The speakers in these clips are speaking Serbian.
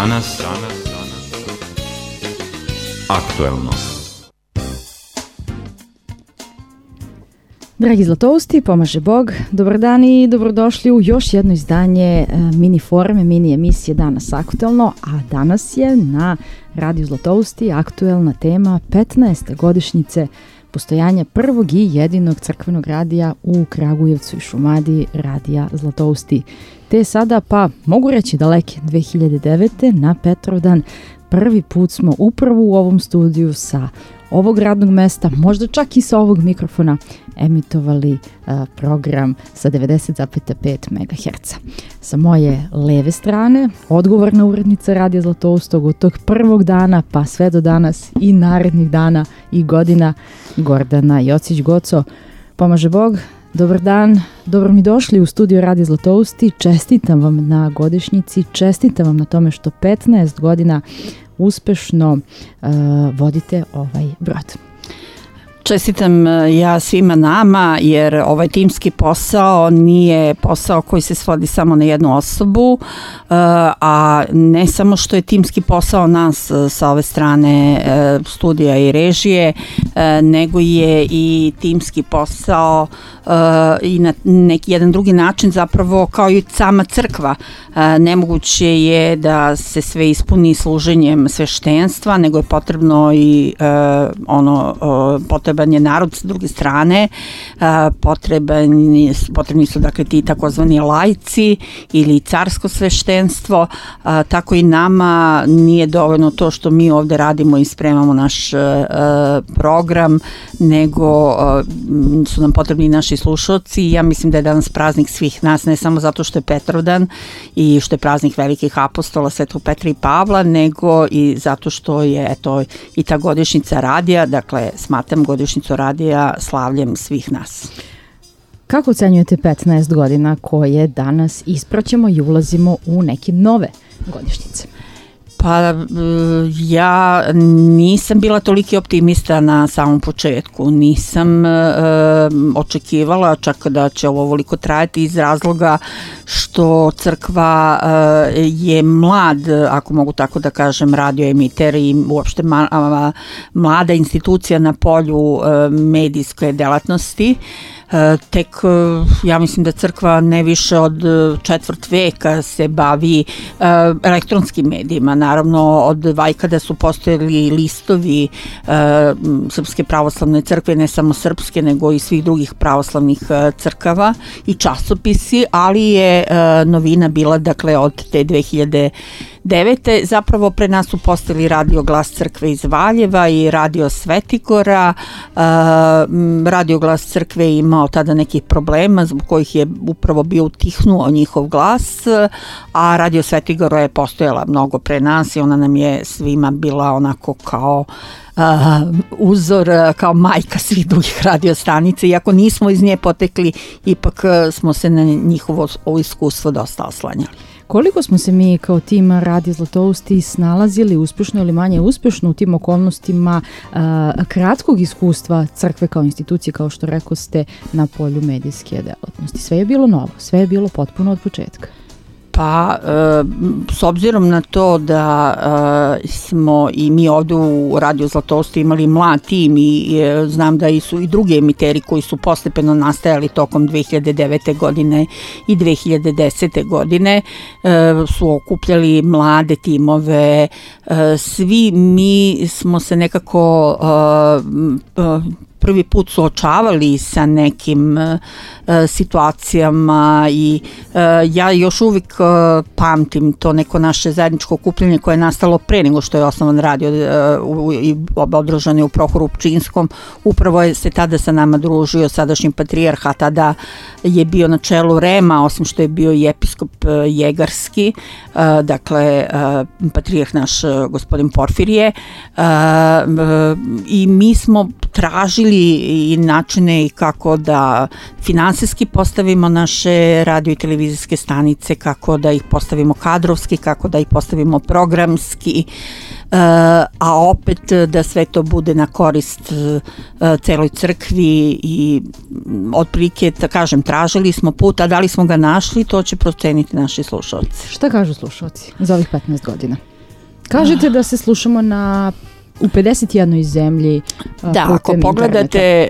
Danas aktuelno. Dragi Zlatousti, pomaže Bog, dobar dan i dobrodošli u još jedno izdanje mini forme, mini emisije Danas aktuelno, a danas je na Radio Zlatousti aktuelna tema 15. godišnjice postojanja prvog i jedinog crkvenog radija u Kragujevcu i Šumadiji, Radija Zlatousti. Te sada, pa mogu reći daleke 2009. na Petrovdan, prvi put smo upravo u ovom studiju sa ovog radnog mesta, možda čak i sa ovog mikrofona, emitovali program sa 90,5 MHz. Sa moje leve strane, odgovorna urednica Radija Zlatoustog od tog prvog dana pa sve do danas i narednih dana i godina, Gordana Jocić-Goco. Pomaže Bog, dobar dan, dobro mi došli u studio Radija Zlatousti, čestitam vam na godišnjici, čestitam vam na tome što 15 godina uspešno vodite ovaj brod. Čestitam ja svima nama, jer ovaj timski posao nije posao koji se svodi samo na jednu osobu, a ne samo što je timski posao nas sa ove strane studija i režije, nego je i timski posao i na neki jedan drugi način zapravo kao i sama crkva. Nemoguće je da se sve ispuni služenjem sveštenstva, nego je potrebno i potreban je narod s druge strane, potrebni su dakle ti takozvani laici ili carsko sveštenstvo, tako i nama nije dovoljno to što mi ovde radimo i spremamo naš program, nego su nam potrebni i naši slušalci. Ja mislim da je danas praznik svih nas, ne samo zato što je Petrovdan i što je praznik velikih apostola Svetog Petra i Pavla, nego i zato što je i ta godišnjica radija, dakle smatram godišnjicu radija slavljem svih nas. Kako ocenjujete 15 godina koje danas ispraćamo i ulazimo u neke nove godišnjice? Pa ja nisam bila toliki optimista na samom početku, nisam očekivala čak da će ovo ovoliko trajati iz razloga što crkva je mlad, ako mogu tako da kažem, radioemiter i uopšte mlada institucija na polju medijske delatnosti. Tek ja mislim da crkva ne više od četvrt veka se bavi elektronskim medijima. Naravno od vajkada su postojali listovi Srpske pravoslavne crkve, ne samo srpske nego i svih drugih pravoslavnih crkava i časopisi, ali je novina bila dakle od te 2009. Zapravo pre nas su postojali Radio Glas crkve iz Valjeva i Radio Svetigora. Radio Glas crkve imao tada nekih problema zbog kojih je upravo bio utihnuo njihov glas, a Radio Svetigora je postojala mnogo pre nas i ona nam je svima bila onako kao uzor, kao majka svih drugih radiostanica, iako nismo iz nje potekli, ipak smo se na njihovo iskustvo dosta oslanjali. Koliko smo se mi kao tim Radija Zlatousti snalazili uspešno ili manje uspešno u tim okolnostima kratkog iskustva crkve kao institucije, kao što rekao ste, na polju medijske delatnosti? Sve je bilo novo, sve je bilo potpuno od početka. Pa, s obzirom na to da smo i mi ovdje u Radio Zlatousti imali mlad tim i znam da su i drugi emiteri koji su postepeno nastajali tokom 2009. godine i 2010. godine su okupljali mlade timove. Svi mi smo se nekako prvi put suočavali sa nekim situacijama i ja još uvijek pamtim to neko naše zajedničko okupljanje koje je nastalo pre nego što je osnovan radio i održan je u Prohoru Pčinskom. Upravo je se tada sa nama družio sadašnji patrijarh, a tada je bio na čelu REM-a, osim što je bio i episkop Jegarski, dakle patrijarh naš gospodin Porfirije, i mi smo tražili i načine kako da finansijski postavimo naše radio i televizijske stanice, kako da ih postavimo kadrovski, kako da ih postavimo programski, a opet da sve to bude na korist celoj crkvi i otprilike, da kažem, tražili smo put, a da li smo ga našli, to će proceniti naši slušalci. Šta kažu slušalci za ovih 15 godina? Kažete da se slušamo u 51 zemlji. Da, ako pogledate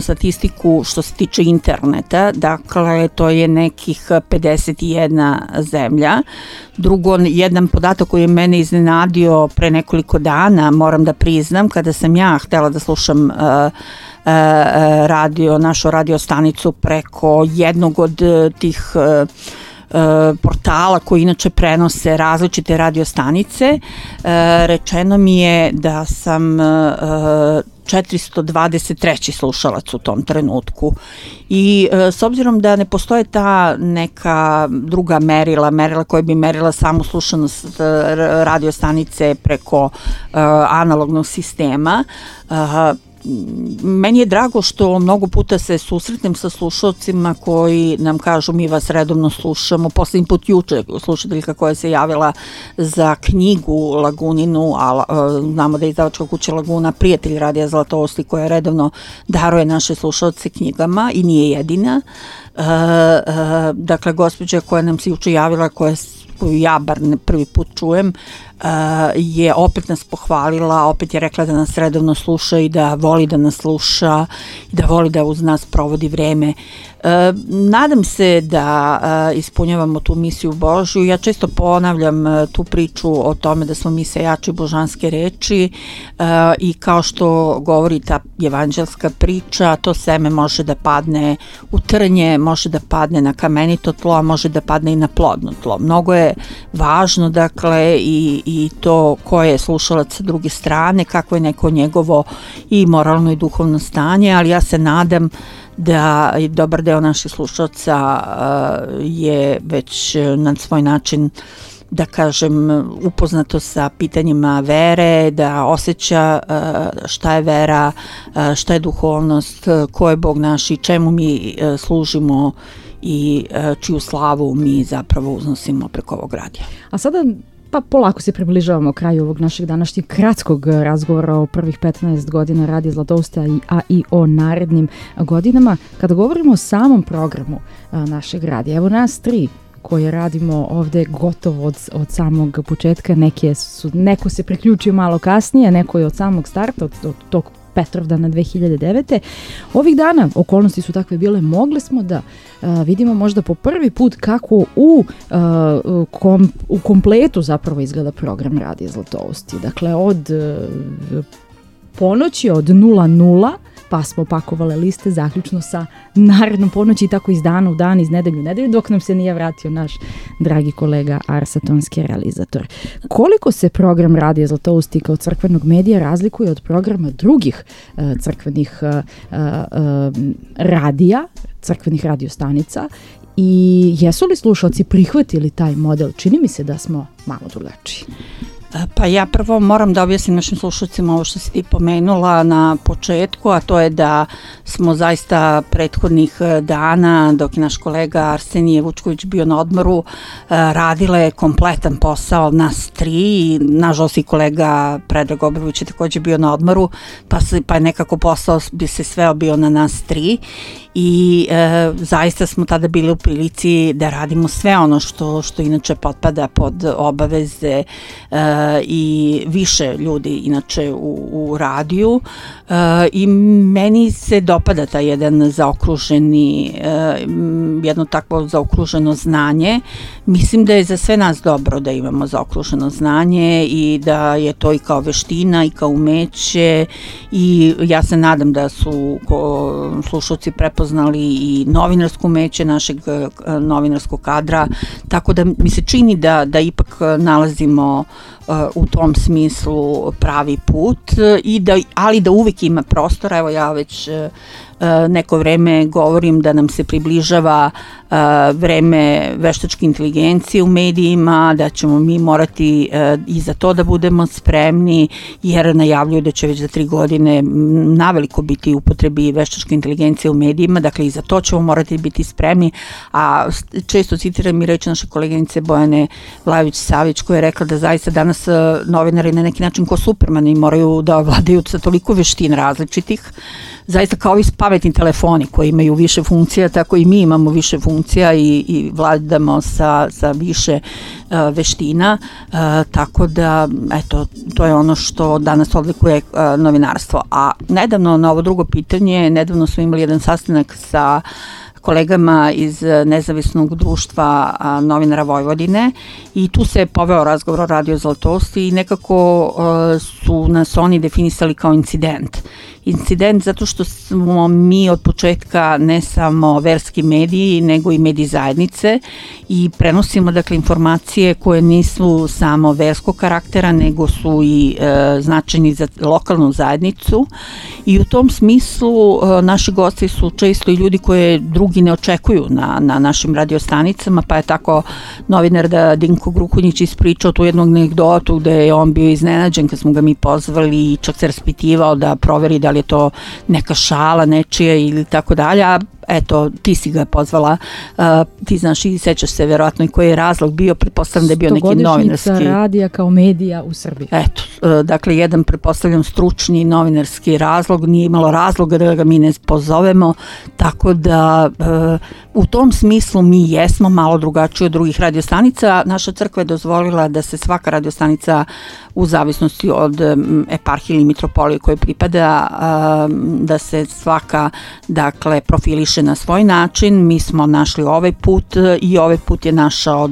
statistiku što se tiče interneta, dakle to je nekih 51 zemlja. Drugo, jedan podatak koji je mene iznenadio pre nekoliko dana, moram da priznam, kada sam ja htela da slušam našu radio stanicu preko jednog od tih portala koji inače prenose različite radio stanice, rečeno mi je da sam 423. slušalac u tom trenutku i s obzirom da ne postoje ta neka druga merila koja bi merila samu slušanost radio stanice preko analognog sistema, meni je drago što mnogo puta se susretnem sa slušalcima koji nam kažu mi vas redovno slušamo. Poslednji put juče slušateljka koja se javila za knjigu Laguninu, a znamo da je izdavačka kuća Laguna prijatelj Radija Zlatousti koja redovno daruje naše slušalce knjigama i nije jedina. Dakle, gospođa koja nam se juče javila, koju ja bar prvi put čujem, je opet nas pohvalila, opet je rekla da nas redovno sluša i da voli da nas sluša i da voli da uz nas provodi vreme. Nadam se da ispunjavamo tu misiju Božju. Ja često ponavljam tu priču o tome da smo mi sejači božanske reči i kao što govori ta evanđelska priča, to seme može da padne u trnje, može da padne na kamenito tlo, a može da padne i na plodno tlo. Mnogo je važno, dakle, i to ko je slušalac sa druge strane, kako je neko njegovo i moralno i duhovno stanje, ali ja se nadam da dobar deo naših slušalaca je već na svoj način, da kažem, upoznato sa pitanjima vere, da osjeća šta je vera, šta je duhovnost, ko je Bog naš i čemu mi služimo i čiju slavu mi zapravo uznosimo preko ovog radija. A sada polako se približavamo kraju ovog našeg današnjeg kratkog razgovora o prvih 15 godina Radija Zlatousti, a i o narednim godinama. Kada govorimo o samom programu našeg radija, evo nas tri koje radimo ovde gotovo od samog početka, neko se priključio malo kasnije, neko je od samog starta, od tog Petrovdana 2009. Ovih dana, okolnosti su takve bile, mogli smo da vidimo možda po prvi put kako u kompletu zapravo izgleda program Radija Zlatousti. Dakle, od ponoći, od 00, pa smo pakovali liste zaključno sa narednom ponoći i tako iz dana u dan, iz nedelju u nedelju, dok nam se nije vratio naš dragi kolega Arsa, tonski realizator. Koliko se program Radija Zlatousti kao crkvenog medija razlikuje od programa drugih crkvenih radija, crkvenih radiostanica, i jesu li slušalci prihvatili taj model? Čini mi se da smo malo drugačiji. Pa ja prvo moram da objasnim našim slušalcima ovo što si ti pomenula na početku, a to je da smo zaista prethodnih dana, dok je naš kolega Arsenije Vučković bio na odmoru, radile kompletan posao nas tri. Nažalost i kolega Predrag Obradović je takođe bio na odmoru, pa je nekako posao bi se sveo bio na nas tri. I zaista smo tada bili u prilici da radimo sve ono što inače potpada pod obaveze i više ljudi inače u radiju, i meni se dopada taj jedan jedno takvo zaokruženo znanje. Mislim da je za sve nas dobro da imamo zaokruženo znanje i da je to i kao veština i kao umeće, i ja se nadam da su slušalci prepoznali i novinarsko umeće našeg novinarskog kadra, tako da mi se čini da ipak nalazimo u tom smislu pravi put, ali da uvijek ima prostora. Evo, ja već neko vreme govorim da nam se približava vreme veštačke inteligencije u medijima, da ćemo mi morati i za to da budemo spremni, jer najavljuju da će već za 3 godine naveliko biti upotrebi veštačke inteligencije u medijima. medijima, dakle i za to ćemo morati biti spremni, a često citiram i reći naše koleginice Bojane Vlajović-Savić koja je rekla da zaista danas novinari na neki način ko Supermani moraju da vladaju sa toliko veština različitih, zaista kao ovi pametni telefoni koji imaju više funkcija, tako i mi imamo više funkcija i vladamo sa više veština, tako da eto, to je ono što danas odlikuje novinarstvo. A nedavno, na ovo drugo pitanje, nedavno smo imali jedan sastanak sa kolegama iz Nezavisnog društva novinara Vojvodine i tu se poveo razgovor o Radio Zlatosti i nekako su nas oni definisali kao incident. Incident zato što smo mi od početka ne samo verski mediji, nego i mediji zajednice i prenosimo dakle informacije koje nisu samo verskog karaktera, nego su i značajni za lokalnu zajednicu i u tom smislu naši gosti su često i ljudi koje drugi ne očekuju na našim radiostanicama, pa je tako novinar Dinko Gruhonjić ispričao tu jednu anegdotu gde je on bio iznenađen kad smo ga mi pozvali i čak se raspitivao da proveri da li je to neka šala nečija ili tako dalje, a eto, ti si ga pozvala, ti znaš i sećaš se verovatno i koji je razlog bio, pretpostavljam da je bio neki novinarski. 100-godišnjica radija kao medija u Srbiji. Eto, dakle, jedan pretpostavljam stručni novinarski razlog, nije imalo razloga da ga mi ne pozovemo, tako da u tom smislu mi jesmo malo drugačiji od drugih radiostanica. Naša crkva je dozvolila da se svaka radiostanica u zavisnosti od eparhije ili mitropolije koje pripada, da se svaka, dakle, profiliše na svoj način. Mi smo našli ovaj put i ovaj put je našao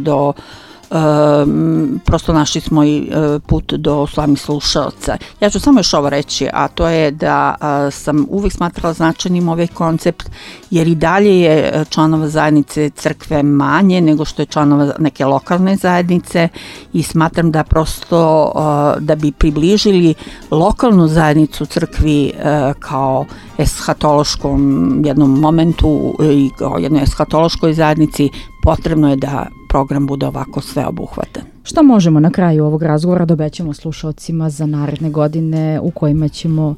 prosto našli smo i put do slavnih slušalca. Ja ću samo još ovo reći, a to je da sam uvijek smatrala značajnim ovaj koncept, jer i dalje je članova zajednice crkve manje nego što je članova neke lokalne zajednice i smatram da prosto da bi približili lokalnu zajednicu crkvi kao eshatološkom jednom momentu i kao jednoj eshatološkoj zajednici, potrebno je da program bude ovako sveobuhvatan. Šta možemo na kraju ovog razgovora da obećamo slušalcima za naredne godine u kojima ćemo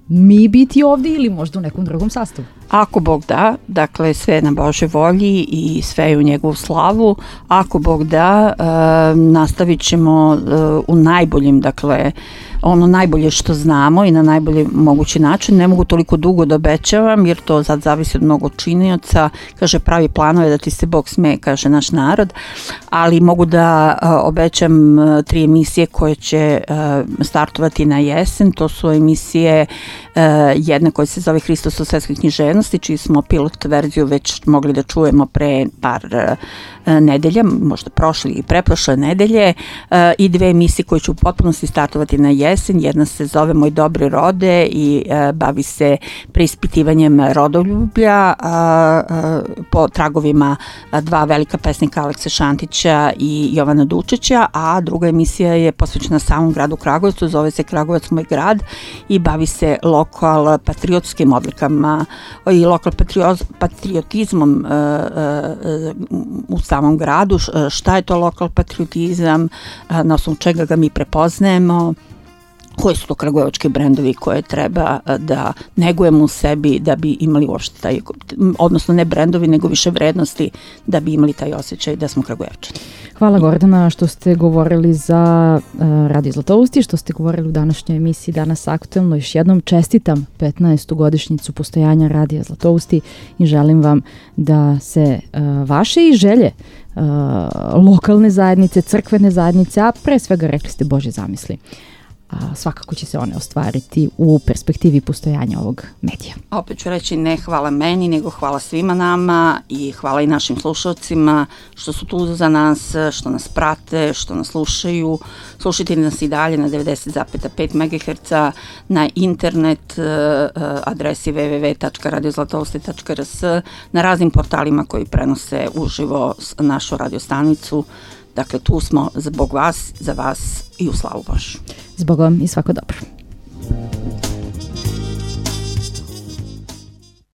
mi biti ovdje ili možda u nekom drugom sastavu? Ako Bog da, dakle sve je na Božoj volji i sve je u njegovu slavu. Ako Bog da, nastavit ćemo u najboljim, dakle ono najbolje što znamo i na najbolji mogući način. Ne mogu toliko dugo da obećavam jer to sad zavisi od mnogo činioca. Kaže, pravi planove da ti se Bog smeje, kaže naš narod, ali mogu da obećam 3 emisije koje će startovati na jesen. To su emisije jedna koja se zove Hristos u svetskoj književnosti, čiji smo pilot verziju već mogli da čujemo pre par nedelja, možda prošle i preprošle nedelje, i 2 emisije koje će u potpunosti startovati na jesen. Jedna se zove Moj dobri rode i bavi se preispitivanjem rodoljublja po tragovima 2 velika pesnika, Alekse Šantića i Jovana Dučića, a druga emisija je posvećena samom gradu Kragujevcu, zove se Kragujevac moj grad i bavi se lokal patriotskim odlikama i lokal patriotizmom u samom gradu, šta je to lokal patriotizam, na osnovu čega ga mi prepoznajemo, koji su to kragujevački brendovi koje treba da negujemo u sebi da bi imali uopšte taj, odnosno ne brendovi nego više vrednosti da bi imali taj osjećaj da smo Kragujevčani. Hvala Gordana što ste govorili za Radio Zlatousti, što ste govorili u današnjoj emisiji Danas aktuelno. Još jednom čestitam 15. godišnjicu postojanja Radija Zlatousti i želim vam da se vaše i želje lokalne zajednice, crkvene zajednice, a pre svega rekli ste Božje zamisli, svakako će se one ostvariti u perspektivi postojanja ovog medija. Opet ću reći ne hvala meni, nego hvala svima nama i hvala i našim slušalcima što su tu za nas, što nas prate, što nas slušaju. Slušajte nas i dalje na 90,5 MHz, na internet adresi www.radiozlatousti.rs, na raznim portalima koji prenose uživo našu radiostanicu. Dakle, tu smo zbog vas, za vas i u slavu Božju. Zbog vam i svako dobro.